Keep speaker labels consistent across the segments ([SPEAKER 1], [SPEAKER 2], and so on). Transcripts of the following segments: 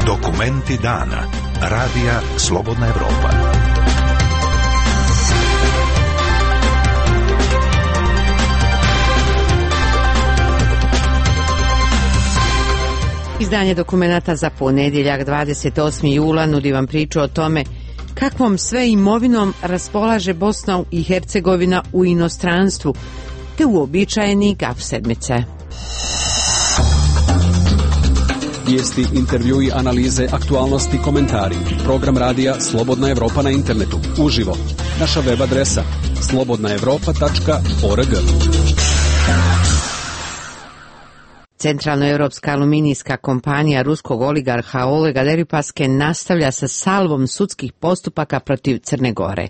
[SPEAKER 1] Dokumenti dana. Radija Slobodna Evropa.
[SPEAKER 2] Izdanje dokumenata za ponedjeljak 28. jula nudi vam priču o tome kakvom sve imovinom raspolaže Bosna i Hercegovina u inostranstvu, te uobičajeni gaf sedmice.
[SPEAKER 3] Vijesti, intervjui, analize, aktualnosti, komentari. Program radija Slobodna Evropa na internetu. Uživo. Naša web adresa slobodnaevropa.org.
[SPEAKER 2] Centralnoevropska aluminijska kompanija ruskog oligarha Olega Deripaske nastavlja sa salvom sudskih postupaka protiv Crne Gore.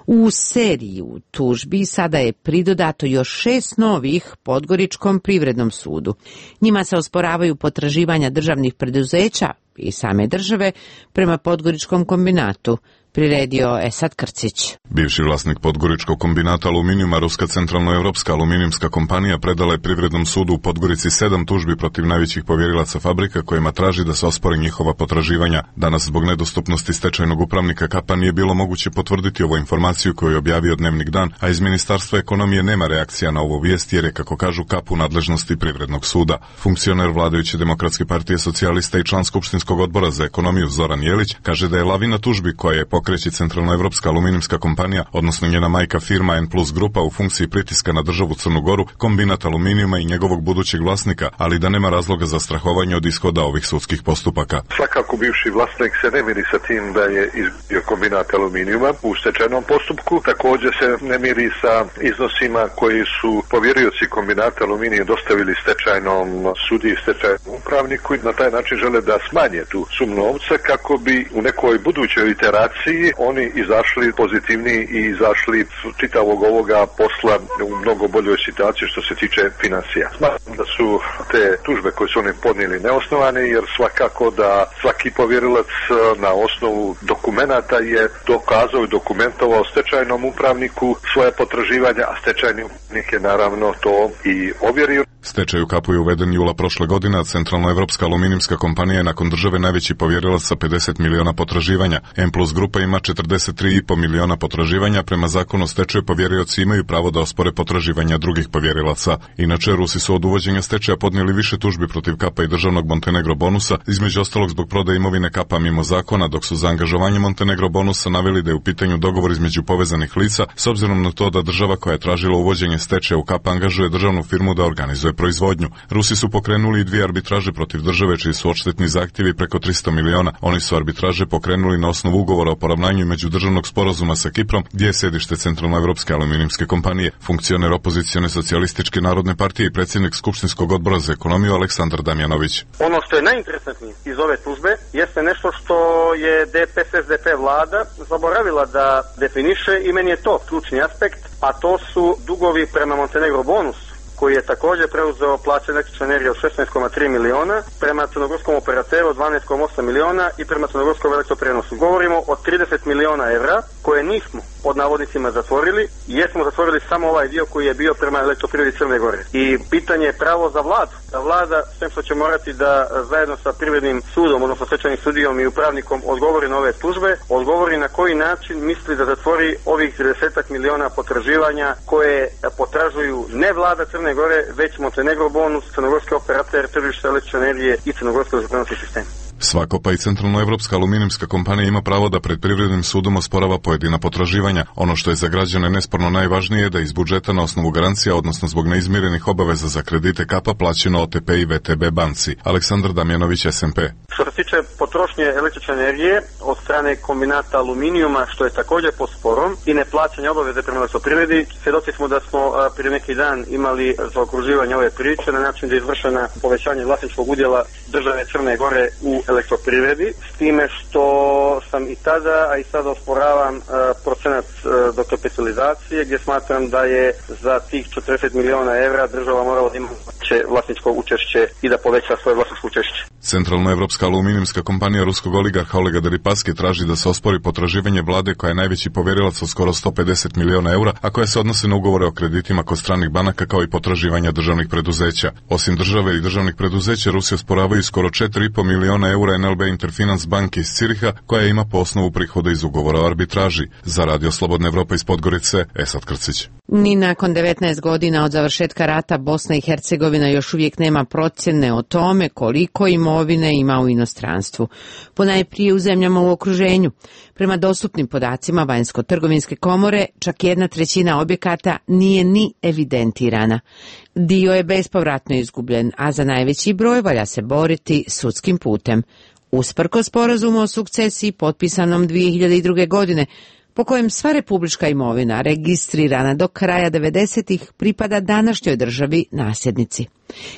[SPEAKER 2] U seriju tužbi sada je pridodato još 6 novih Podgoričkom privrednom sudu. Njima se osporavaju potraživanja državnih preduzeća i same države prema Podgoričkom kombinatu, priredio Esad Krcić.
[SPEAKER 4] Bivši vlasnik Podgoričkog kombinata aluminijuma, Ruska centralnoevropska aluminijumska kompanija predala je Privrednom sudu u Podgorici 7 tužbi protiv najvećih povjerilaca fabrika kojima traži da se ospore njihova potraživanja. Danas zbog nedostupnosti stečajnog upravnika Kapa nije bilo moguće potvrditi ovu informaciju koju je objavio Dnevnik Dan, a iz Ministarstva ekonomije nema reakcija na ovu vijest jer je, kako kažu, Kap u nadležnosti Privrednog suda. Funkcioner vladajuće Demokratske partije socijalista i član Skupštinskog odbora za ekonomiju Zoran Jelić kaže da je lavina tužbi koja je pokreće Centralnoevropska aluminijumska kompanija, odnosno njena majka firma N Plus Grupa u funkciji pritiska na državu Crnu Goru, kombinat aluminijuma i njegovog budućeg vlasnika, ali da nema razloga za strahovanje od ishoda ovih sudskih postupaka.
[SPEAKER 5] Svakako bivši vlasnik se ne miri sa tim da je izgubio kombinat aluminijuma u stečajnom postupku. Također se ne miri sa iznosima koji su povjerioci kombinata aluminijuma dostavili stečajnom sudi i stečajnom upravniku i na taj način žele da smanje tu sumu novca kako bi u nekoj budućoj iteraciji oni izašli pozitivni i izašli čitavog ovoga posla u mnogo boljoj situaciji što se tiče financija. Smatram da su te tužbe koje su oni podnijeli neosnovane, jer svakako da svaki povjerilac na osnovu dokumenata je dokazao i dokumentovao stečajnom upravniku svoje potraživanja, a stečajni upravnik je naravno to i ovjerio.
[SPEAKER 4] Stečaj u Kapu je uveden jula prošle godine, a Centralnoevropska aluminijumska kompanija je nakon države najveći povjerilac sa 50 miliona potraživanja. M Plus Grupa ima 43,5 miliona potraživanja. Prema zakonu o stečaju povjerioci imaju pravo da ospore potraživanja drugih povjerilaca. Inače, Rusi su od uvođenja stečaja podnijeli više tužbi protiv Kapa i državnog Montenegro bonusa, između ostalog zbog prodaje imovine Kapa mimo zakona, dok su za angažovanje Montenegro bonusa naveli da je u pitanju dogovor između povezanih lica, s obzirom na to da država koja je tražila uvođenje stečaja u Kapa angažuje državnu firmu da organizuje proizvodnju. Rusi su pokrenuli i 2 arbitraže protiv države čiji su odštetni zahtjevi preko 300 miliona. Oni su arbitraže pokrenuli na osnovu ugovora o poravnanju međudržavnog sporazuma sa Kiprom, gdje je sjedište Centralnoevropske aluminijumske kompanije. Funkcioner opozicione socijalističke narodne partije i predsjednik Skupštinskog odbora za ekonomiju Aleksandar Damjanović.
[SPEAKER 6] Ono što je najinteresantnije iz ove tužbe jeste nešto što je DPS-SDP vlada zaboravila da definiše i meni je to ključni aspekt, a to su dugovi prema Montenegro bonusu, koji je također preuzeo plaće električne energije od 16,3 miliona, prema crnogorskom operateru 12,8 miliona i prema crnogorskom elektroprenosu. Govorimo o 30 miliona evra koje nismo pod navodnicima zatvorili, jer smo zatvorili samo ovaj dio koji je bio prema elektroprivredi Crne Gore. I pitanje je pravo za vladu. Da vlada, sve što će morati da zajedno sa privrednim sudom, odnosno stečajnim sudijom i upravnikom odgovori na ove tužbe, odgovori na koji način misli da zatvori ovih 30 miliona potraživanja koje potražuju ne vlada Crne Gore, već Montenegro bonus, crnogorski operater, tržište električne energije i crnogorski elektroprenosni sistem.
[SPEAKER 4] Svako, pa i Centralnoevropska aluminijumska kompanija ima pravo da pred Privrednim sudom osporava pojedina potraživanja. Ono što je za građane nesporno najvažnije je da iz budžeta na osnovu garancija, odnosno zbog neizmirenih obaveza za kredite Kapa, plaćeno OTP i VTB banci. Aleksandar Damjanović, SMP.
[SPEAKER 6] Što se tiče potrošnje električne energije od strane kombinata aluminijuma, što je također pod sporom, i neplaćanja obaveze prema elektroprivredi, svjedoci smo da smo prije neki dan imali zaokruživanje ove priče na način da je izvršena povećanje vlasničkog udjela države Crne Gore u elektroprivredi, s time što sam i tada, a i sada osporavam procenat dokapitalizacije, gdje smatram da je za tih 40 miliona evra država morala da ima veće vlasničko učešće i da poveća svoje vlasničko učešće.
[SPEAKER 4] Centralnoevropska aluminijska kompanija ruskog oligarha Olega Deripaske traži da se ospori potraživanje vlade koja je najveći povjerilac od skoro 150 miliona eura, a koja se odnose na ugovore o kreditima kod stranih banaka kao i potraživanja državnih preduzeća. Osim države i državnih preduzeća, Rusija osporavaju skoro 4,5 miliona eura NLB Interfinance banke iz Ciriha, koja ima po osnovu prihoda iz ugovora o arbitraži. Za Radio Slobodna Evropa iz Podgorice, Esad Krcić.
[SPEAKER 2] Ni nakon 19 godina od završetka rata Bosna i Hercegovina još uvijek nema procjene o tome koliko imovine ima u inostranstvu, ponajprije u zemljama u okruženju. Prema dostupnim podacima Vanjsko-trgovinske komore, čak 1/3 objekata nije ni evidentirana. Dio je bespovratno izgubljen, a za najveći broj valja se boriti sudskim putem. Usprkos sporazumu o sukcesiji potpisanom 2002. godine, po kojem sva republička imovina registrirana do kraja 90-ih pripada današnjoj državi nasljednici.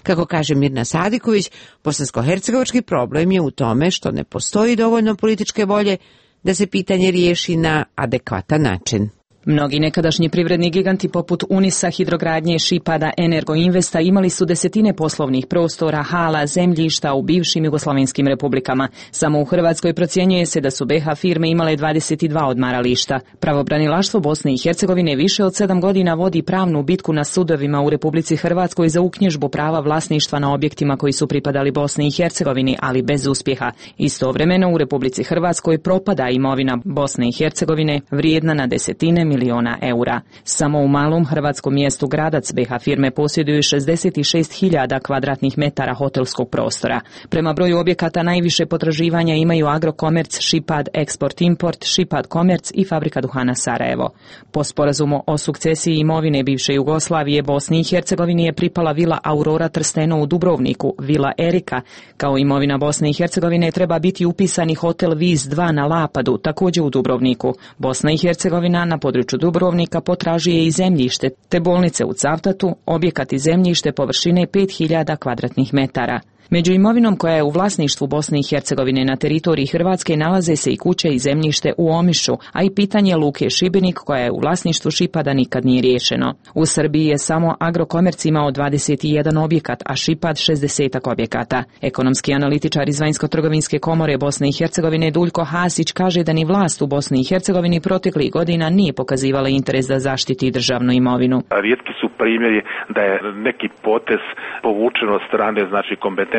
[SPEAKER 2] Kako kaže Mirna Sadiković, bosansko-hercegovački problem je u tome što ne postoji dovoljno političke volje da se pitanje riješi na adekvatan način.
[SPEAKER 7] Mnogi nekadašnji privredni giganti poput Unisa, Hidrogradnje, Šipada, Energoinvesta imali su desetine poslovnih prostora, hala, zemljišta u bivšim jugoslavenskim republikama. Samo u Hrvatskoj procjenjuje se da su BiH firme imale 22 odmarališta. Pravobranilaštvo Bosne i Hercegovine više od 7 godina vodi pravnu bitku na sudovima u Republici Hrvatskoj za uknjižbu prava vlasništva na objektima koji su pripadali Bosni i Hercegovini, ali bez uspjeha. Istovremeno u Republici Hrvatskoj propada imovina Bosne i Hercegovine vrijedna na desetine miliona eura. Samo u malom hrvatskom mjestu Gradac BiH firme posjeduju 66.000 kvadratnih metara hotelskog prostora. Prema broju objekata najviše potraživanja imaju Agrokomerc, Šipad, Eksport-Import, Šipad Komerc i Fabrika duhana Sarajevo. Po sporazumu o sukcesiji imovine bivše Jugoslavije, Bosni i Hercegovini je pripala vila Aurora Trsteno u Dubrovniku, vila Erika. Kao imovina Bosne i Hercegovine treba biti upisani hotel Vis 2 na Lapadu, također u Dubrovniku. Bosna i Hercegovina na području Dubrovnika potražuje i zemljište, te bolnice u Cavtatu, objekat i zemljište površine 5.000 kvadratnih metara. Među imovinom koja je u vlasništvu Bosne i Hercegovine na teritoriji Hrvatske nalaze se i kuće i zemljište u Omišu, a i pitanje luke Šibenik koja je u vlasništvu Šipada nikad nije riješeno. U Srbiji je samo Agrokomerc imao 21 objekat, a Šipad 60 objekata. Ekonomski analitičar iz Vanjsko-trgovinske komore Bosne i Hercegovine Duljko Hasić kaže da ni vlast u Bosni i Hercegovini proteklih godina nije pokazivala interes da zaštiti državnu imovinu.
[SPEAKER 8] Rijetki su primjeri da je neki potez povučen od strane, znači kompetentni,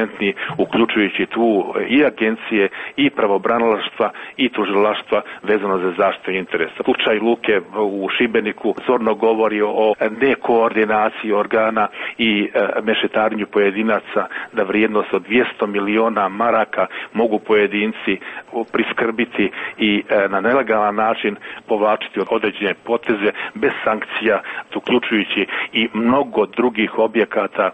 [SPEAKER 8] uključujući tu i agencije i pravobranilaštva i tužilaštva vezano za zaštitu interesa. Slučaj luke u Šibeniku zorno govori o nekoordinaciji organa i mešetarenju pojedinaca, da vrijednost od 200 miliona maraka mogu pojedinci priskrbiti i na nelegalan način povlačiti određene poteze bez sankcija, uključujući i mnogo drugih objekata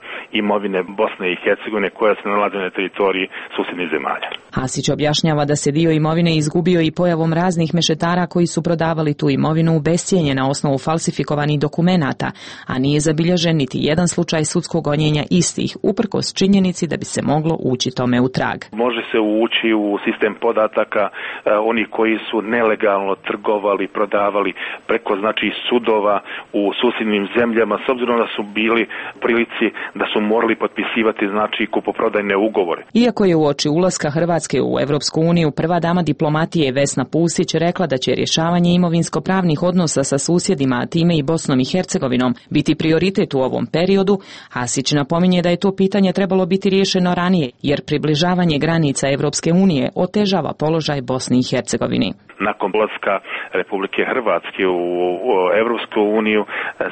[SPEAKER 8] imovine Bosne i Hercegovine koja se nalaze na teritoriji susjednih zemalja.
[SPEAKER 7] Hasić objašnjava da se dio imovine izgubio i pojavom raznih mešetara koji su prodavali tu imovinu u bescijenje na osnovu falsifikovanih dokumenata, a nije zabilježen niti jedan slučaj sudskog gonjenja istih, uprkos činjenici da bi se moglo ući tome u trag.
[SPEAKER 8] Može se ući u sistem podataka oni koji su nelegalno trgovali, prodavali preko znači sudova u susjednim zemljama, s obzirom da su bili prilici da su morali potpisivati znači kupoprodajne ugovore.
[SPEAKER 7] Iako je uoči ulaska Hrvatske u Evropsku uniju prva dama diplomatije Vesna Pusić rekla da će rješavanje imovinsko-pravnih odnosa sa susjedima, a time i Bosnom i Hercegovinom, biti prioritet u ovom periodu, Hasić napominje da je to pitanje trebalo biti riješeno ranije, jer približavanje granica Evropske unije otežava položaj Bosni i Hercegovini.
[SPEAKER 8] Nakon ulaska Republike Hrvatske u Evropsku uniju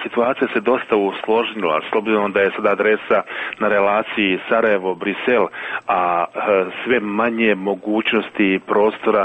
[SPEAKER 8] situacija se dosta usložnila, s obzirom da je sada adresa na relaciji Sarajevo-Brisel, a sve manje mogućnosti i prostora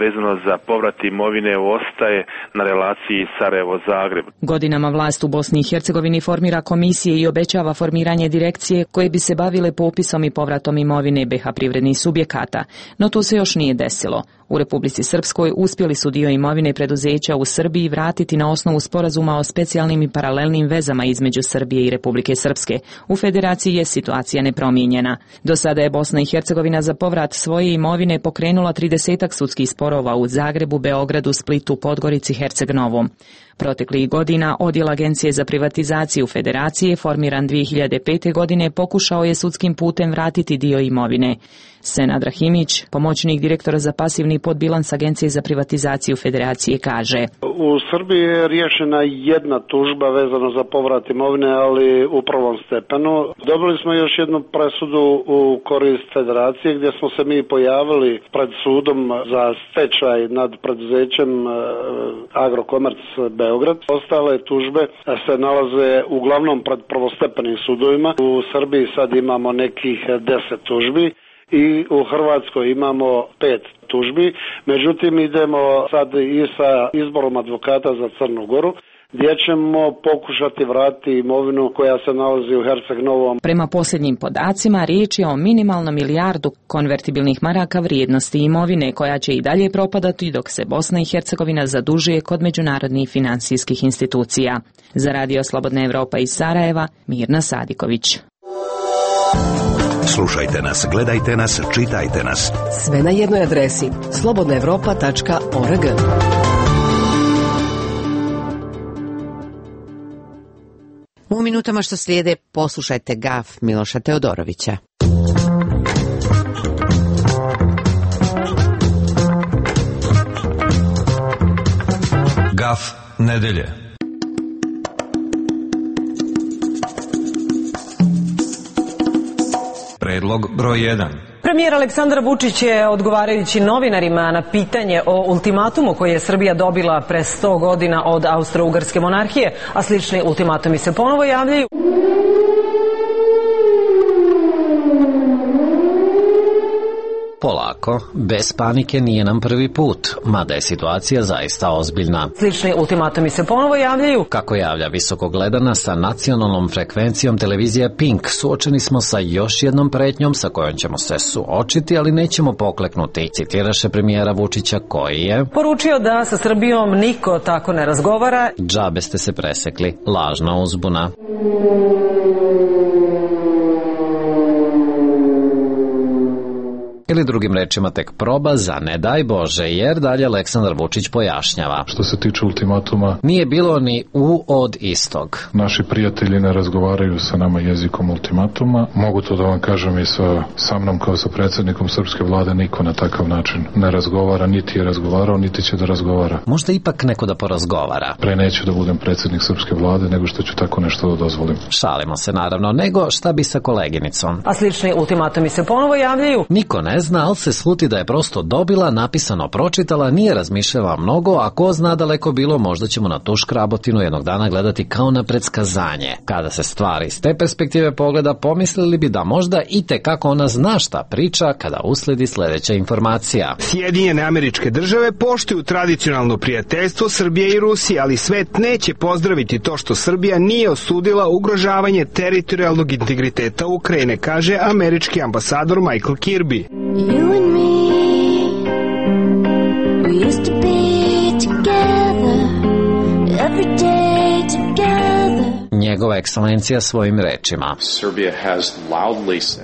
[SPEAKER 8] vezano za povrat imovine ostaje na relaciji Sarajevo-Zagreb.
[SPEAKER 7] Godinama vlast u Bosni i Hercegovini formira komisije i obećava formiranje direkcije koje bi se bavile popisom i povratom imovine BiH privrednih subjekata, no to se još nije desilo. U Republici Srpskoj uspjeli su dio imovine preduzeća u Srbiji vratiti na osnovu sporazuma o specijalnim i paralelnim vezama između Srbije i Republike Srpske. U federaciji je situacija nepromijenjena. Do sada je Bosna i Hercegovina za povrat svoje imovine pokrenula 30 sudskih sporova u Zagrebu, Beogradu, Splitu, Podgorici, Herceg Novom. Proteklih godina odjel Agencije za privatizaciju Federacije, formiran 2005. godine, pokušao je sudskim putem vratiti dio imovine. Senad Rahimić, pomoćnik direktora za pasivni podbilans Agencije za privatizaciju Federacije, kaže:
[SPEAKER 9] U Srbiji je riješena jedna tužba vezano za povrat imovine, ali u prvom stepenu. Dobili smo još jednu presudu u korist Federacije, gdje smo se mi pojavili pred sudom za stečaj nad preduzećem Agrokomerc Beograd. Ostale tužbe se nalaze uglavnom pred prvostepenim sudovima. U Srbiji sad imamo nekih 10 tužbi i u Hrvatskoj imamo 5 tužbi. Međutim, idemo sad i sa izborom advokata za Crnu Goru, gdje ćemo pokušati vratiti imovinu koja se nalazi u Herceg Novom.
[SPEAKER 7] Prema posljednjim podacima, riječ je o minimalno milijardu konvertibilnih maraka vrijednosti imovine, koja će i dalje propadati dok se Bosna i Hercegovina zadužuje kod međunarodnih financijskih institucija. Za Radio Slobodna Evropa iz Sarajeva, Mirna Sadiković.
[SPEAKER 1] Slušajte nas, gledajte nas, čitajte nas.
[SPEAKER 10] Sve na jednoj adresi slobodnaevropa.org.
[SPEAKER 2] U minutama što slijede poslušajte gaf Miloša Teodorovića.
[SPEAKER 1] Gaf nedelje. Predlog broj 1.
[SPEAKER 11] Premijer Aleksandar Vučić je, odgovarajući novinarima na pitanje o ultimatumu koji je Srbija dobila pre 100 godina od Austro-Ugarske monarhije, a slični ultimatumi se ponovo javljaju.
[SPEAKER 12] Polako, bez panike nije nam prvi put, mada je situacija zaista ozbiljna.
[SPEAKER 11] Slični ultimatumi se ponovo javljaju.
[SPEAKER 12] Kako javlja visoko gledana sa nacionalnom frekvencijom televizija Pink, suočeni smo sa još jednom pretnjom sa kojom ćemo se suočiti, ali nećemo pokleknuti. Citiraše premijera Vučića koji je
[SPEAKER 11] poručio da sa Srbijom niko tako ne razgovara.
[SPEAKER 12] Džabe ste se presekli, lažna uzbuna. Ili drugim rečima tek proba za ne daj Bože, jer dalje Aleksandar Vučić pojašnjava.
[SPEAKER 13] Što se tiče ultimatuma,
[SPEAKER 12] nije bilo ni u od istog.
[SPEAKER 13] Naši prijatelji ne razgovaraju sa nama jezikom ultimatuma. Mogu to da vam kažem i sa mnom kao sa predsjednikom srpske vlade, niko na takav način ne razgovara, niti je razgovarao, niti će da razgovara.
[SPEAKER 12] Možda ipak neko da porazgovara.
[SPEAKER 13] Pre neću da budem predsjednik srpske vlade, nego što ću tako nešto da dozvolim.
[SPEAKER 12] Šalimo se naravno, nego šta bi sa koleginicom.
[SPEAKER 11] A slični ultimatumi se ponovo javljaju.
[SPEAKER 12] Niko ne zna, ali se sluti da je prosto dobila, napisano pročitala, nije razmišljala mnogo, a ko zna daleko bilo, možda ćemo na tu škrabotinu jednog dana gledati kao na predskazanje. Kada se stvari iz te perspektive pogleda, pomislili bi da možda i tekako ona zna šta priča kada usledi sljedeća informacija.
[SPEAKER 14] Sjedinjene Američke Države poštuju tradicionalno prijateljstvo Srbije i Rusije, ali svet neće pozdraviti to što Srbija nije osudila ugrožavanje teritorijalnog integriteta Ukrajine, kaže američki ambasador Michael Kirby.
[SPEAKER 15] You and me, we used to be together, every day together.
[SPEAKER 12] Njegova ekscelencija svojim rečima.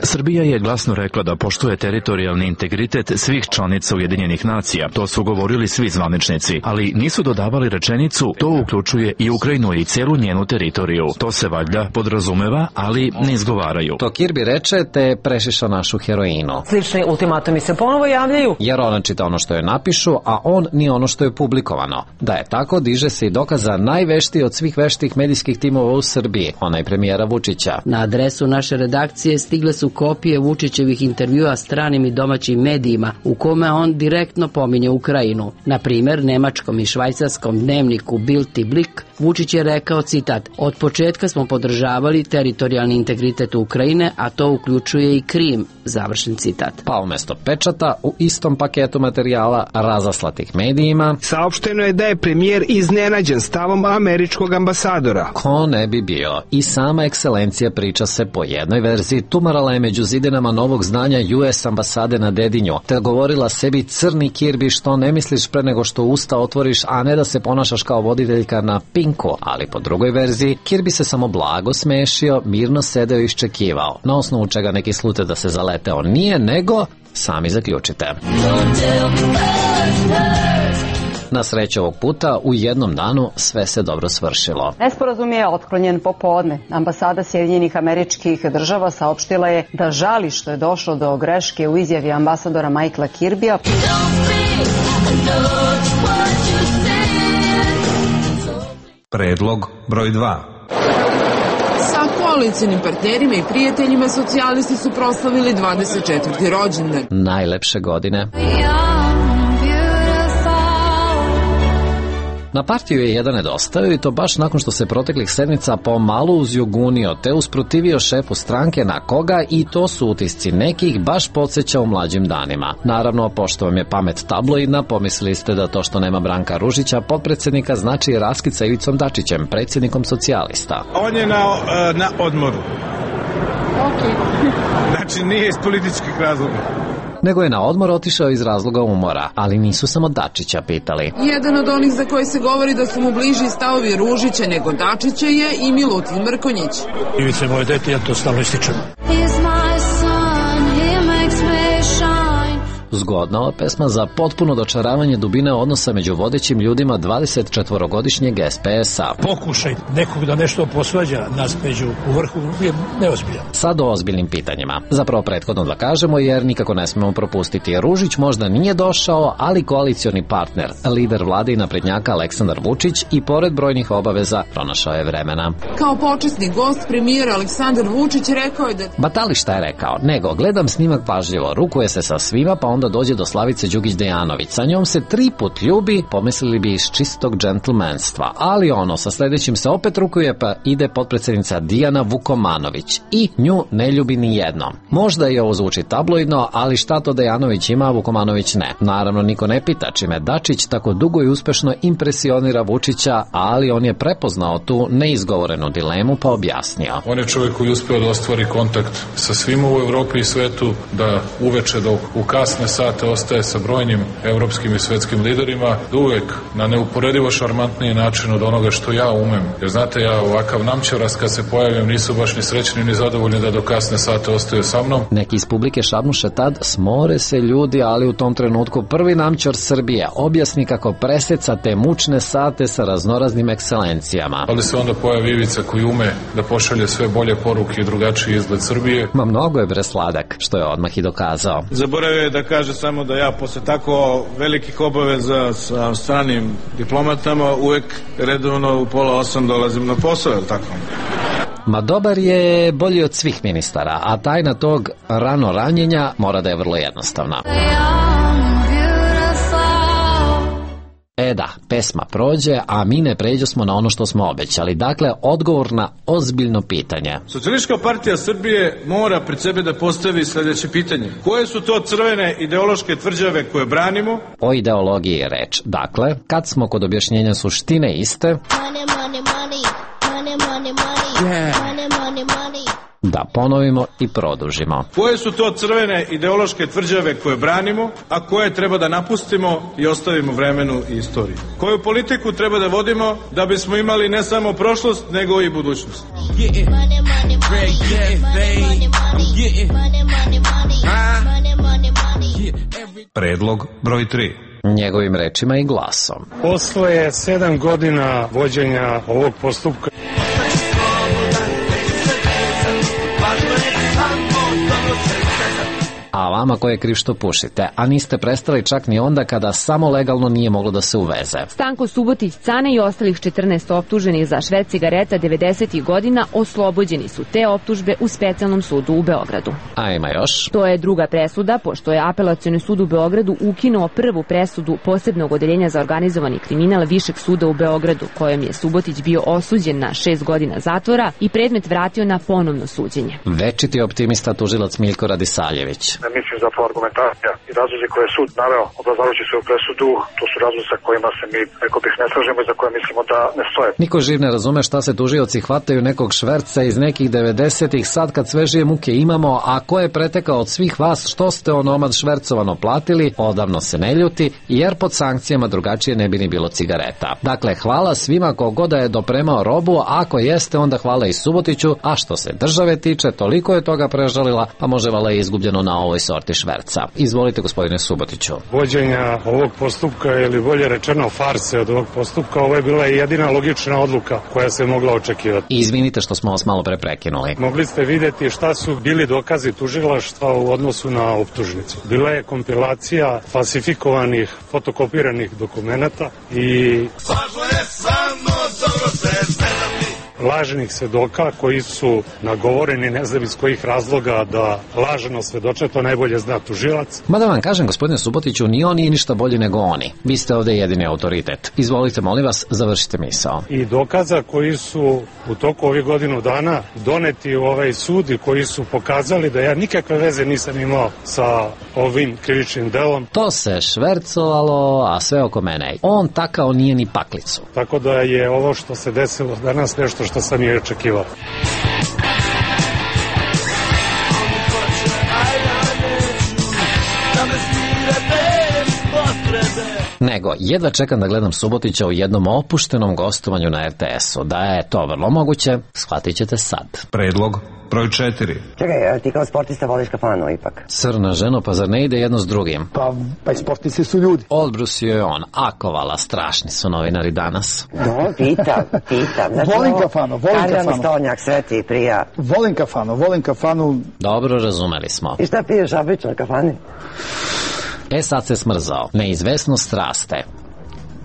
[SPEAKER 16] Srbija je glasno rekla da poštuje teritorijalni integritet svih članica Ujedinjenih nacija. To su govorili svi zvaničnici, ali nisu dodavali rečenicu to uključuje i Ukrajinu i celu njenu teritoriju. To se valjda podrazumeva, ali ne izgovaraju.
[SPEAKER 12] To Kirby reče te prešiša našu heroinu.
[SPEAKER 11] Slični ultimatumi se ponovo javljaju.
[SPEAKER 12] Jer ona čita ono što je napišu, a on nije ono što je publikovano. Da je tako, diže se i dokaza najveštiji od svih veštih medijskih timova u Srbiji, onaj premijera Vučića.
[SPEAKER 17] Na adresu naše redakcije stigle su kopije Vučićevih intervjua stranim i domaćim medijima u kome on direktno pominje Ukrajinu. Na primjer, nemačkom i švajcarskom dnevniku Bild i Blik Vučić je rekao, citat: "Od početka smo podržavali teritorijalni integritet Ukrajine, a to uključuje i Krim." Završen citat.
[SPEAKER 12] Pa umjesto pečata u istom paketu materijala razaslatih medijima
[SPEAKER 14] saopšteno je da je premijer iznenađen stavom američkog ambasadora.
[SPEAKER 12] Ko ne bi bio? I sama ekscelencija, priča se po jednoj verziji, tumarala je među zidinama novog zdanja US ambasade na Dedinju, te govorila sebi: crni Kirby, što ne misliš pre nego što usta otvoriš, a ne da se ponašaš kao voditeljka na Pinku. Ali po drugoj verziji, Kirby se samo blago smešio, mirno sedeo i iščekivao, na osnovu čega neki slute da se zaleteo nije, nego sami zaključite. Na sreću ovog puta u jednom danu sve se dobro svršilo.
[SPEAKER 18] Nesporazum je otklonjen popodne. Ambasada Sjedinjenih Američkih Država saopštila je da žali što je došlo do greške u izjavi ambasadora Michaela Kirbija.
[SPEAKER 1] Predlog broj 2.
[SPEAKER 19] Sa koalicijnim partnerima i prijateljima socijalisti su proslavili 24. rođendan.
[SPEAKER 12] Najlepše godine. Na partiju je jedan nedostajao i to baš nakon što se proteklih sedmica pomalo uzjugunio te usprotivio šefu stranke na koga i to su utisci nekih baš podsjeća u mlađim danima. Naravno, pošto vam je pamet tabloidna, pomislili ste da to što nema Branka Ružića, potpredsjednika, znači raskid sa Ivicom Dačićem, predsjednikom socijalista.
[SPEAKER 20] On je na odmoru. Znači nije iz političkih razloga.
[SPEAKER 12] Nego je na odmor otišao iz razloga umora, ali nisu samo Dačića pitali.
[SPEAKER 19] Jedan od onih za koje se govori da su mu bliži stavovi Ružića nego Dačića je i Milutin Mrkonjić.
[SPEAKER 20] Ivica je moje dete, ja to stalno ističem.
[SPEAKER 12] Zgodna ova pesma za potpuno dočaravanje dubine odnosa među vodećim ljudima 24-godišnjeg SPS-a.
[SPEAKER 20] Pokušaj nekog da nešto posvađa nas među u vrhu je neozbiljan.
[SPEAKER 12] Sad o ozbiljnim pitanjima. Zapravo prethodno da kažemo jer nikako ne smemo propustiti. Ružić možda nije došao, ali koalicioni partner, lider vlade i naprednjaka Aleksandar Vučić i pored brojnih obaveza pronašao je vremena.
[SPEAKER 19] Kao počasni gost premijer Aleksandar Vučić rekao je da...
[SPEAKER 12] Batali šta je rekao, nego gledam snimak pažljivo, rukuje se sa svima pa onda dođe do Slavice Đukić-Dejanović. Sa njom se 3 put ljubi, pomislili bi iz čistog džentlmenstva. Ali ono, sa sledećim se opet rukuje pa ide potpredsjednica Dijana Vukomanović. I nju ne ljubi ni jednom. Možda i ovo zvuči tabloidno, ali šta to Dejanović ima, a Vukomanović ne. Naravno, niko ne pita čime Dačić tako dugo i uspešno impresionira Vučića, ali on je prepoznao tu neizgovorenu dilemu pa objasnio.
[SPEAKER 13] On je čovjek koji uspeo da ostvari kontakt sa svima u Evropi i svetu, da uveče dok u kasne sate ostaje sa brojnim evropskim i svetskim liderima, da uvek na neuporedivo šarmantniji način od onoga što ja umem. Jer znate, ja ovakav namćaras kad se pojavim nisu baš ni srećni ni zadovoljni da do kasne sate ostaju sa mnom.
[SPEAKER 12] Neki iz publike šapnuše tad, smore se ljudi, ali u tom trenutku prvi namćar Srbije objasni kako preseca te mučne sate sa raznoraznim ekscelencijama.
[SPEAKER 13] Ali se onda pojavi Ivica koji ume da pošalje sve bolje poruke i drugačiji izgled Srbije.
[SPEAKER 12] Ma mnogo je bre sladak, što je odmah i dokazao.
[SPEAKER 20] Zaboravio je da kaže samo da ja posle tako velikih obaveza sa stranim diplomatama uvek redovno u 7:30 dolazim na posao, je li tako?
[SPEAKER 12] Ma dobar je bolji od svih ministara, a tajna tog rano ranjenja mora da je vrlo jednostavna. Da, pesma prođe, a mi ne pređo smo na ono što smo obećali. Dakle, odgovor na ozbiljno pitanje.
[SPEAKER 20] Socijalistička partija Srbije mora pred sebe da postavi sledeće pitanje. Koje su to crvene ideološke tvrđave koje branimo?
[SPEAKER 12] O ideologiji je reč. Dakle, kad smo kod objašnjenja suštine iste... Da ponovimo i produžimo.
[SPEAKER 20] Koje su to crvene ideološke tvrđave koje branimo, a koje treba da napustimo i ostavimo vremenu i istoriji? Koju politiku treba da vodimo da bismo imali ne samo prošlost, nego i budućnost?
[SPEAKER 1] Predlog broj 3.
[SPEAKER 12] Njegovim rečima i glasom.
[SPEAKER 21] Posle 7 godina vođenja ovog postupka
[SPEAKER 12] A vama ko je kriv što pušite, a niste prestali čak ni onda kada samo legalno nije moglo da se uveze.
[SPEAKER 22] Stanko Subotić, Cane i ostalih 14 optuženih za šverc cigareta 90. godina oslobođeni su te optužbe u specijalnom sudu u Beogradu.
[SPEAKER 12] A ima još?
[SPEAKER 22] To je druga presuda, pošto je Apelacioni sud u Beogradu ukinuo prvu presudu posebnog odeljenja za organizovani kriminal Višeg suda u Beogradu, kojom je Subotić bio osuđen na 6 godina zatvora i predmet vratio na ponovno suđenje.
[SPEAKER 12] Večiti optimista tužilac Miljko Radisaljević.
[SPEAKER 23] Mislim zapravo argumentacija i razlozi koje je sud naveo obrazlažući svoju presudu, to su razlozi sa kojima se mi, rekao bih, ne slažemo i za koje mislimo da ne stoje.
[SPEAKER 12] Niko živ ne razume šta se tužioci hvataju nekog šverca iz nekih 90-ih sad kad svežije muke imamo, a ko je pretekao od svih vas što ste onomad švercovano platili, odavno se ne ljuti, jer pod sankcijama drugačije ne bi ni bilo cigareta. Dakle, hvala svima kogoda je dopremao robu, a ako jeste onda hvala i Subotiću, a što se države tiče, toliko je toga prežalila, pa može vala i izgubljeno na ovo ovoj sorti šverca. Izvolite, gospodine Subotiću.
[SPEAKER 21] Vođenja ovog postupka ili bolje rečeno farse od ovog postupka, ovo je bila jedina logična odluka koja se mogla očekivati.
[SPEAKER 12] Izvinite što smo vas malo pre prekinuli.
[SPEAKER 21] Mogli ste vidjeti šta su bili dokazi tužilaštva u odnosu na optužnicu. Bila je kompilacija falsifikovanih, fotokopiranih dokumenata i lažnih svedoka koji su nagovoreni, ne znam iz kojih razloga, da lažno svedoče, to najbolje zna tužilac.
[SPEAKER 12] Mada vam kažem, gospodine Subotiću, ni oni ništa bolje nego oni. Vi ste ovde jedini autoritet. Izvolite, molim vas, završite misao.
[SPEAKER 21] I dokaza koji su u toku ovih godinu dana doneti u ovaj sud i koji su pokazali da ja nikakve veze nisam imao sa ovim krivičnim delom.
[SPEAKER 12] To se švercovalo, a sve oko mene. On takao nije ni paklicu.
[SPEAKER 21] Tako da je ovo što se desilo danas nešto što sam i očekivao.
[SPEAKER 12] Nego, jedva čekam da gledam Subotića u jednom opuštenom gostovanju na RTS-u. Da je to vrlo moguće, shvatit ćete sad.
[SPEAKER 1] Predlog broj 4.
[SPEAKER 3] Čekaj, ti kao sportista voliš kafanu ipak?
[SPEAKER 12] Crna ženo, pa zar ne ide jedno s drugim?
[SPEAKER 3] Pa i sportisti su ljudi.
[SPEAKER 12] Odbrusio je on. Akovala, strašni su novinari danas.
[SPEAKER 3] No, pitam. Znači,
[SPEAKER 5] volim kafanu.
[SPEAKER 3] Karljani Stolnjak, Sveti, Prija.
[SPEAKER 5] Volim kafanu.
[SPEAKER 12] Dobro, razumeli smo.
[SPEAKER 3] I šta piješ obično na kafani?
[SPEAKER 12] Sad se smrzao. Neizvesnost raste.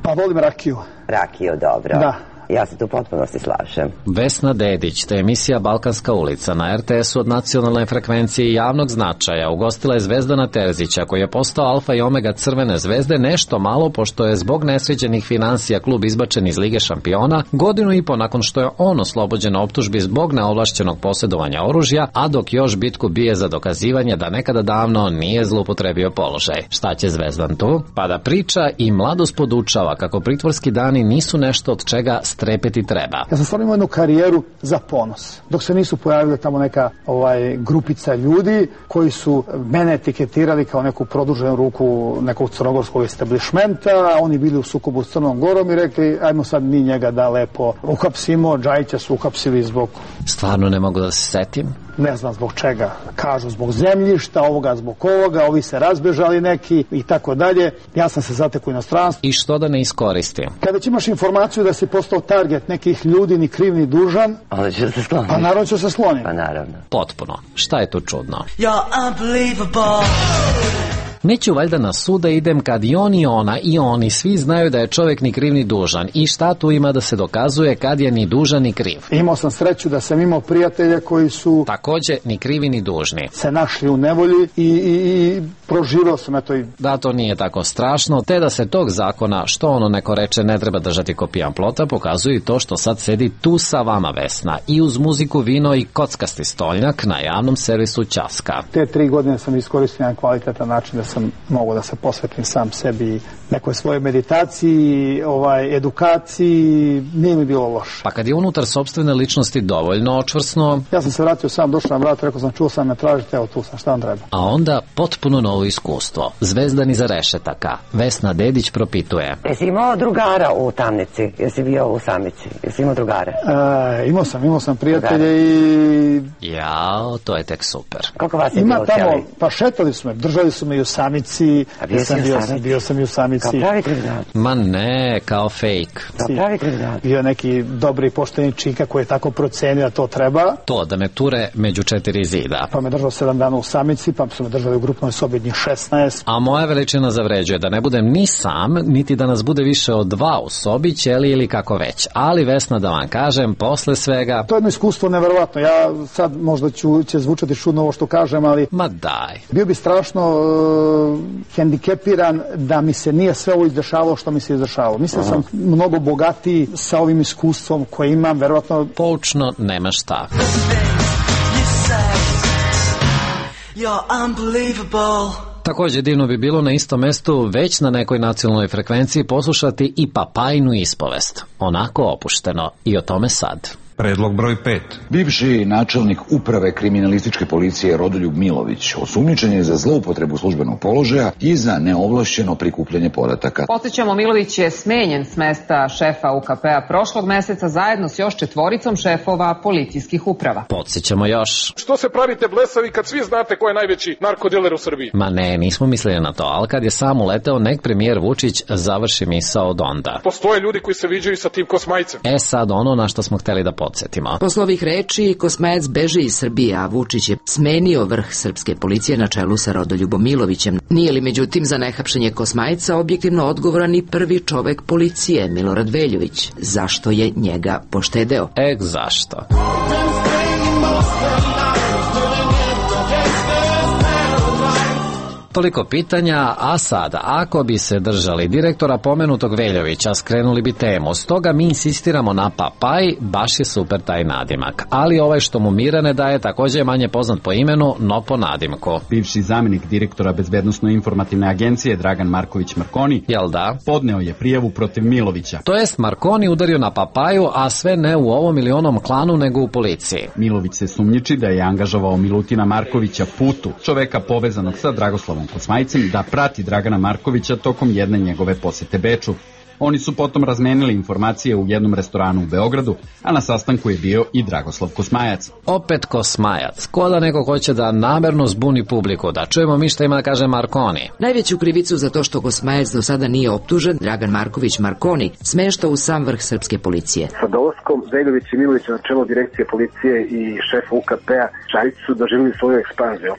[SPEAKER 5] Pa volim rakiju.
[SPEAKER 3] Rakiju, dobro.
[SPEAKER 5] Da.
[SPEAKER 3] Ja se tu potpuno se slažem.
[SPEAKER 12] Vesna Dedić, te emisija Balkanska ulica na RTS-u od nacionalne frekvencije i javnog značaja, ugostila je Zvezdana Terzića, koji je postao alfa i omega Crvene zvezde nešto malo pošto je zbog nesređenih finansija klub izbačen iz Lige šampiona godinu i po nakon što je on oslobođen optužbi zbog neovlašćenog posjedovanja oružja, a dok još bitku bije za dokazivanje da nekada davno nije zloupotrebio položaj. Šta će Zvezdan tu? Pa da priča i mladost podučava kako pritvorski dani nisu nešto od čega strepeti treba.
[SPEAKER 5] Ja sam stvarno imao jednu karijeru za ponos. Dok se nisu pojavili tamo neka grupica ljudi koji su mene etiketirali kao neku produženu ruku nekog crnogorskog establishmenta, oni bili u sukobu s Crnom Gorom i rekli ajmo sad mi njega da lepo uhapsimo. Džajića su uhapsili zbog...
[SPEAKER 12] Stvarno ne mogu da se setim.
[SPEAKER 5] Ne znam zbog čega. Kažu zbog zemljišta, ovoga zbog ovoga, ovi se razbežali neki i tako dalje. Ja sam se zatekao u inostranstvu.
[SPEAKER 12] I što da ne iskoristim?
[SPEAKER 5] Kada imaš informaciju da si postao target nekih ljudi, ni kriv ni dužan,
[SPEAKER 3] onda ću se skloniti.
[SPEAKER 5] Pa naravno ću se skloniti.
[SPEAKER 3] Pa naravno.
[SPEAKER 12] Potpuno. Šta je tu čudno? You're unbelievable. Neću valjda na sud da idem kad i on i ona i oni svi znaju da je čovjek ni kriv ni dužan. I šta tu ima da se dokazuje kad je ni dužan ni kriv?
[SPEAKER 5] Imao sam sreću da sam imao prijatelje koji su
[SPEAKER 12] takođe ni krivi ni dužni
[SPEAKER 5] se našli u nevolji i proživao sam eto i...
[SPEAKER 12] Da, to nije tako strašno, te da se tog zakona, što ono neko reče, ne treba držati ko pijan plota, pokazuje i to što sad sedi tu sa vama Vesna i uz muziku, vino i kockasti stolnjak na javnom servisu Ćaska.
[SPEAKER 5] Te 3 godine sam iskoristio na kvalitetan način da sam mogao da se posvetim sam sebi, nekoj svojoj meditaciji, edukaciji, nije mi bilo loše.
[SPEAKER 12] Pa kad je unutar sopstvene ličnosti dovoljno očvrsno...
[SPEAKER 5] Ja sam se vratio sam, došao na vrat, rekao sam, čuo sam me tražite, evo tu sam, šta vam treba?
[SPEAKER 12] A onda potpuno novo iskustvo. Zvezdan iza rešetaka. Vesna Dedić propituje.
[SPEAKER 3] Jesi imao drugara u Tamnici? Jesi bio u Samici? Jesi imao drugare?
[SPEAKER 5] Imao sam prijatelje i...
[SPEAKER 12] Jao, to je tek super.
[SPEAKER 3] Koliko vas je bilo u
[SPEAKER 5] tamo, pa šetali su me, držali su me i u Samici. Bio sam i u Samici.
[SPEAKER 3] Kao pravi kriminalac?
[SPEAKER 12] Ma ne, kao fake.
[SPEAKER 3] Kao pravi kriminalac?
[SPEAKER 5] Bio neki dobri pošteni čika koji je tako procenio da to treba.
[SPEAKER 12] To, da me ture među 4 zida.
[SPEAKER 5] Pa me držao 7 dana u Samici, pa su me držali u grupnoj sobi njih 16.
[SPEAKER 12] A moja veličina zavređuje da ne budem ni sam, niti da nas bude više od 2 u sobi, ćeli ili kako već. Ali Vesna, da vam kažem, posle svega...
[SPEAKER 5] To je jedno iskustvo neverovatno. Ja sad možda će zvučati čudno ovo što kažem, ali...
[SPEAKER 12] Ma daj.
[SPEAKER 5] Bio bi strašno hendikepiran da mi se nije sve ovo izdešavalo što mi se izdešavalo. Mislim da sam mnogo bogatiji sa ovim iskustvom koje imam, verovatno...
[SPEAKER 12] Poučno nema šta. Takođe divno bi bilo na istom mestu, već na nekoj nacionalnoj frekvenciji, poslušati i Papajinu ispovest. Onako opušteno. I o tome sad.
[SPEAKER 1] Predlog broj 5.
[SPEAKER 4] Bivši načelnik uprave kriminalističke policije Rodoljub Milović osumnjičen je za zloupotrebu službenog položaja i za neovlašćeno prikupljanje podataka.
[SPEAKER 6] Podsećamo, Milović je smenjen s mesta šefa UKP-a prošlog meseca zajedno s još 4 šefova policijskih uprava.
[SPEAKER 12] Podsećamo još.
[SPEAKER 8] Što se pravite blesavi kad svi znate ko je najveći narkodiler u Srbiji?
[SPEAKER 12] Ma ne, nismo mislili na to, ali kad je sam uleteo, nek premijer Vučić završi misao od onda.
[SPEAKER 8] Postoje ljudi koji se viđaju sa tim Kosmajcem.
[SPEAKER 12] Sad ono na što smo hteli da podsjetimo.
[SPEAKER 17] Posle ovih reči, Kosmajac beži iz Srbije, a Vučić je smenio vrh srpske policije na čelu sa Rodoljubom Milovićem. Nije li međutim za nehapšenje Kosmajca objektivno odgovoran i prvi čovek policije, Milorad Veljović? Zašto je njega poštedeo?
[SPEAKER 12] Zašto? Toliko pitanja, a sada, ako bi se držali direktora pomenutog Veljovića, skrenuli bi temu. Stoga mi insistiramo na Papaj, baš je super taj nadimak. Ali ovaj što mu mira ne daje također je manje poznat po imenu, no po nadimku.
[SPEAKER 24] Bivši zamjenik direktora Bezbednosno-informativne agencije Dragan Marković Markoni,
[SPEAKER 12] jel da,
[SPEAKER 24] podneo je prijavu protiv Milovića.
[SPEAKER 12] To jest Markoni udario na Papaju, a sve ne u ovom ili onom klanu, nego u policiji.
[SPEAKER 24] Milović se sumnjiči da je angažovao Milutina Markovića Putu, čoveka povezanog sa Dragoslavom Kosmajcem, da prati Dragana Markovića tokom jedne njegove posete Beču. Oni su potom razmenili informacije u jednom restoranu u Beogradu, a na sastanku je bio i Dragoslav Kosmajac.
[SPEAKER 12] Opet Kosmajac, ko da neko hoće da namerno zbuni publiku, da čujemo mi šta ima da kaže Markoni.
[SPEAKER 17] Najveću krivicu za to što Kosmajac do sada nije optužen, Dragan Marković Markoni smešta u sam vrh srpske policije.
[SPEAKER 23] Sa dolaskom Veljović i Milović na čelo direkcije policije i šefa UKP-a, Šarić su doživjeli svoju ekspanziju.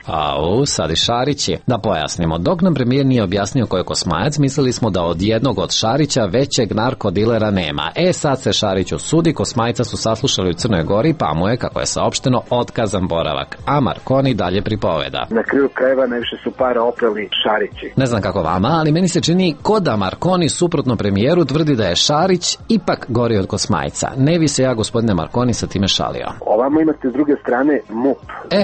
[SPEAKER 12] Sad i Šarići. Da pojasnimo, dok nam premijer nije objasnio ko je Kosmajac, mislili smo da od jednog od Šarića većeg narkodilera nema. Sad se Šarić osudi, Kosmajca su saslušali u Crnoj Gori, pa mu je, kako je saopšteno, otkazan boravak. A Markoni dalje pripoveda.
[SPEAKER 23] Na kraju krajeva najviše su para oprali Šarići.
[SPEAKER 12] Ne znam kako vama, ali meni se čini ko da Markoni suprotno premijeru tvrdi da je Šarić ipak gori od Kosmajca. Ne bi se ja, gospodine Markoni, sa time šalio.
[SPEAKER 23] Ovamo imate s druge strane MUP.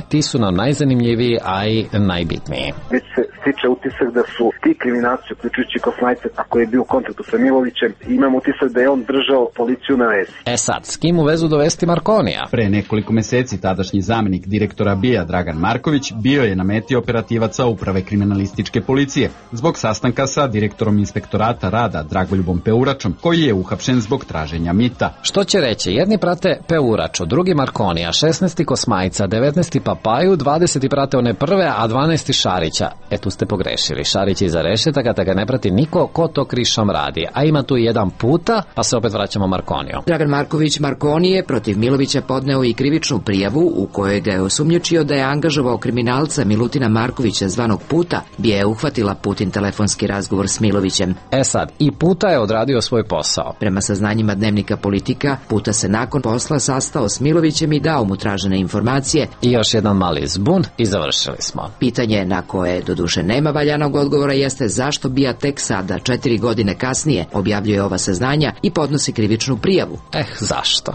[SPEAKER 12] Ti su nam najzanimljiviji, a i najbitniji.
[SPEAKER 23] Već se stiče utisak da su ti kriminalci, uključujući Kosmajca, ako je bio u kontaktu sa Milovićem, imam utisak da je on držao policiju na vezi.
[SPEAKER 12] Sad, s kim u vezu dovesti Markonija?
[SPEAKER 24] Pre nekoliko meseci tadašnji zamjenik direktora BIA Dragan Marković bio je na meti operativaca uprave kriminalističke policije zbog sastanka sa direktorom inspektorata rada Dragoljubom Peuračom, koji je uhapšen zbog traženja mita.
[SPEAKER 12] Što će reći, jedni prate Peuraču, drugi Markonija, 16. Kosmajca, 19. Papaju, 20. prate one prve, a 12. Šarića. Tu ste pogrešili. Šarić je iza rešetaka, da ga ne prati niko ko to krišom radi. A ima tu jedan puta, pa se opet vraćamo Markoniju.
[SPEAKER 17] Dragan Marković Markoni je protiv Milovića podneo i krivičnu prijavu u kojoj ga je osumnjičio da je angažovao kriminalca Milutina Markovića zvanog Puta, bi je uhvatila Putin telefonski razgovor s Milovićem.
[SPEAKER 12] Sad, i Puta je odradio svoj posao.
[SPEAKER 17] Prema saznanjima Dnevnika Politika, Puta se nakon posla sastao s Milovićem i dao mu tražene informacije.
[SPEAKER 12] I još jedan mali zbun i završili smo.
[SPEAKER 17] Pitanje na koje doduše nema valjanog odgovora jeste zašto BIA tek sada, 4 godine kasnije, objavljuje ova saznanja i podnosi krivičnu prijavu.
[SPEAKER 12] Zašto?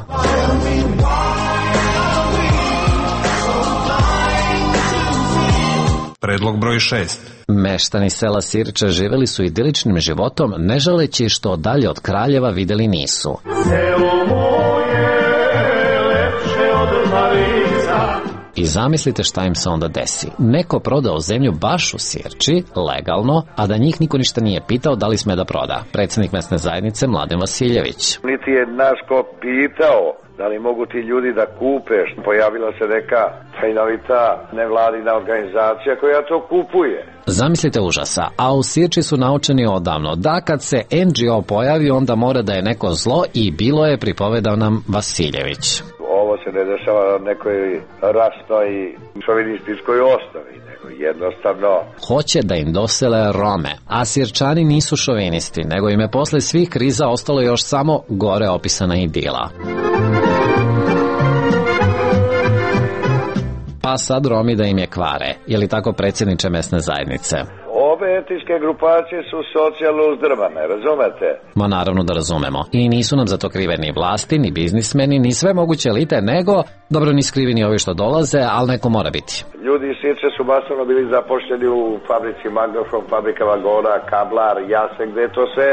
[SPEAKER 1] Predlog broj 6.
[SPEAKER 12] Meštani sela Sirče živeli su idiličnim životom, ne žaleći što dalje od Kraljeva videli nisu.
[SPEAKER 15] Selo moje lepše od Marica.
[SPEAKER 12] I zamislite šta im se onda desi. Neko prodao zemlju baš u Sirči, legalno, a da njih niko ništa nije pitao da li sme da proda. Predsjednik mesne zajednice Mladen Vasiljević.
[SPEAKER 25] Niti je naš ko pitao da li mogu ti ljudi da kupe. Pojavila se neka tajnovita nevladina organizacija koja to kupuje.
[SPEAKER 12] Zamislite užasa, a u Sirči su naučeni odavno da kad se NGO pojavi onda mora da je neko zlo i bilo je, pripovedao nam Vasiljević.
[SPEAKER 25] Ovo se ne dešava na nekoj rasnoj i šovinističkoj osnovi, nego jednostavno
[SPEAKER 12] hoće da im dosele Rome, a Sirčani nisu šovinisti, nego im je posle svih kriza ostalo još samo gore opisana idila. Pa sad Romi da im je kvare, je li tako, predsjedniče mesne zajednice?
[SPEAKER 25] Ove etničke grupacije su socijalno uzdrmane, razumete?
[SPEAKER 12] Ma naravno da razumemo. I nisu nam za to krive ni vlasti, ni biznismeni, ni sve moguće elite, nego, dobro, ni skrivi ni ovi što dolaze, ali neko mora biti.
[SPEAKER 25] Ljudi iz Sirče su masovno bili zapošljeni u fabrici Magnofon, fabrika vagona, Kablar, Jase, gde je to sve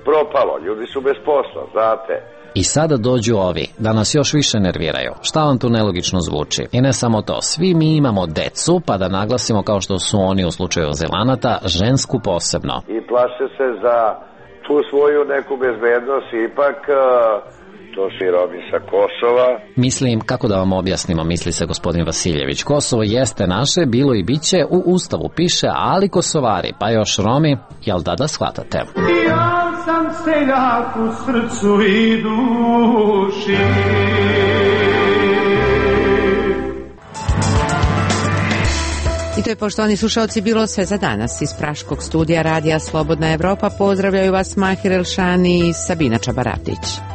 [SPEAKER 25] propalo. Ljudi su bez posla, znate.
[SPEAKER 12] I sada dođu ovi, da nas još više nerviraju. Šta vam tu nelogično zvuči? I ne samo to, svi mi imamo decu, pa da naglasimo kao što su oni u slučaju azilanata, žensku posebno.
[SPEAKER 25] I plaše se za tu svoju neku bezbednost, ipak to su i Romi sa Kosova.
[SPEAKER 12] Mislim, kako da vam objasnimo, misli se gospodin Vasiljević. Kosovo jeste naše, bilo i biće, u Ustavu piše, ali Kosovari, pa još Romi, jel da shvatate?
[SPEAKER 15] Ja sam seljak u srcu i duši.
[SPEAKER 2] I to je, poštovani slušalci, bilo sve za danas. Iz Praškog studija Radija Slobodna Evropa pozdravljaju vas Mahir Elšani i Sabina Čabaratić.